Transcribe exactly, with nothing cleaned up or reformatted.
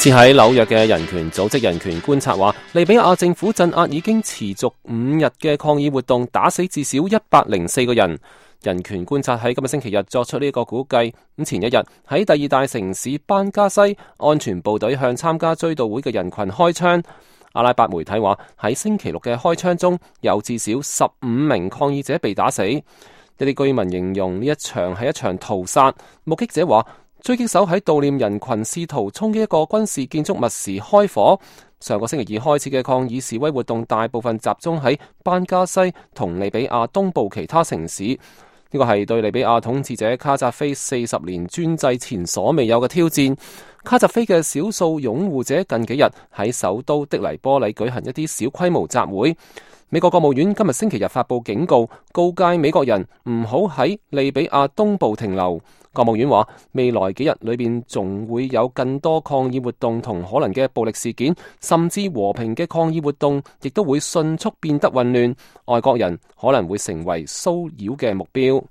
設喺紐約嘅人權組織人權觀察話，利比亞政府鎮壓已經持續五日嘅抗議活動，打死至少一百零四個人。人權觀察喺今日星期日作出呢個估計，咁前一日喺第二大城市班加西，安全部隊向參加追悼會嘅人群開槍。阿拉伯媒體話喺星期六嘅開槍中，有至少十五名抗議者被打死。一啲居民形容呢一場係一場屠殺。目擊者話，狙擊手喺悼念人群試圖衝擊一個軍事建築物時開火。上個星期二開始嘅抗議示威活動大部分集中喺班加西同利比亞東部其他城市。呢個係對利比亞統治者卡扎菲四十年專制前所未有嘅挑戰。卡扎菲嘅少數擁護者近幾日喺首都的黎波里舉行一啲小規模集會。美國國務院今日星期日發布警告，告誡美國人唔好喺利比亞東部停留。國務院話，未來幾日裏邊仲會有更多抗議活動同可能嘅暴力事件，甚至和平嘅抗議活動亦都會迅速變得混亂，外國人可能會成為騷擾嘅目標。